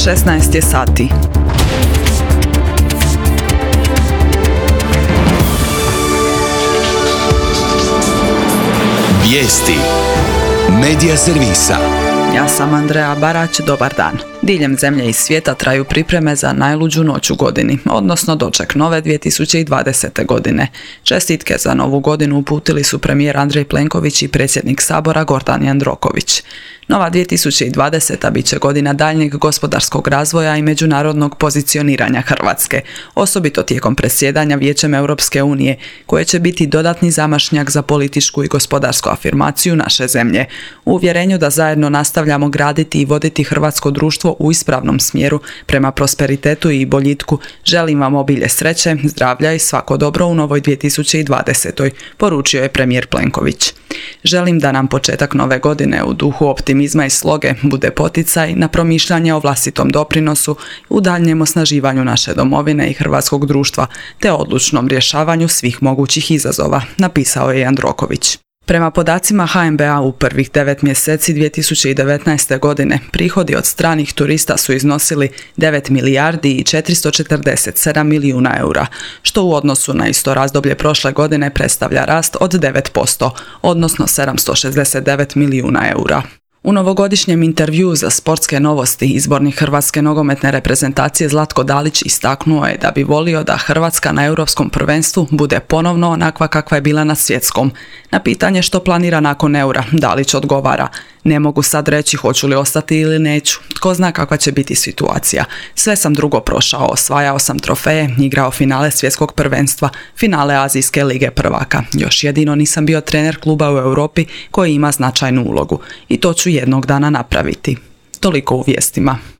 16 je sati. Vijesti Medija servisa. Ja sam Andreja Barać, dobar dan. Diljem zemlje i svijeta traju pripreme za najluđu noć u godini, odnosno doček nove 2020. godine. Čestitke za novu godinu uputili su premijer Andrej Plenković i predsjednik Sabora Gordan Jandroković. Nova 2020. bit će godina daljnjeg gospodarskog razvoja i međunarodnog pozicioniranja Hrvatske, osobito tijekom predsjedanja Vijećem Europske unije, koje će biti dodatni zamašnjak za političku i gospodarsku afirmaciju naše zemlje. U uvjerenju da zajedno nastavljamo graditi i voditi hrvatsko društvo u ispravnom smjeru prema prosperitetu i boljitku, želim vam obilje sreće, zdravlja i svako dobro u novoj 2020. poručio je premijer Plenković. Želim da nam početak nove godine u duhu optimizma i sloge bude poticaj na promišljanje o vlastitom doprinosu u daljnjem osnaživanju naše domovine i hrvatskog društva, te odlučnom rješavanju svih mogućih izazova, napisao je Jandroković. Prema podacima HNB-a u prvih 9 mjeseci 2019. godine prihodi od stranih turista su iznosili 9 milijardi i 447 milijuna eura, što u odnosu na isto razdoblje prošle godine predstavlja rast od 9%, odnosno 769 milijuna eura. U novogodišnjem intervjuu za Sportske novosti izbornik hrvatske nogometne reprezentacije Zlatko Dalić istaknuo je da bi volio da Hrvatska na europskom prvenstvu bude ponovno onakva kakva je bila na svjetskom. Na pitanje što planira nakon eura, Dalić odgovara: ne mogu sad reći hoću li ostati ili neću, tko zna kakva će biti situacija. Sve sam drugo prošao, osvajao sam trofeje, igrao finale svjetskog prvenstva, finale Azijske lige prvaka. Još jedino nisam bio trener kluba u Europi koji ima značajnu ulogu i to ću jednog dana napraviti. Toliko u vijestima.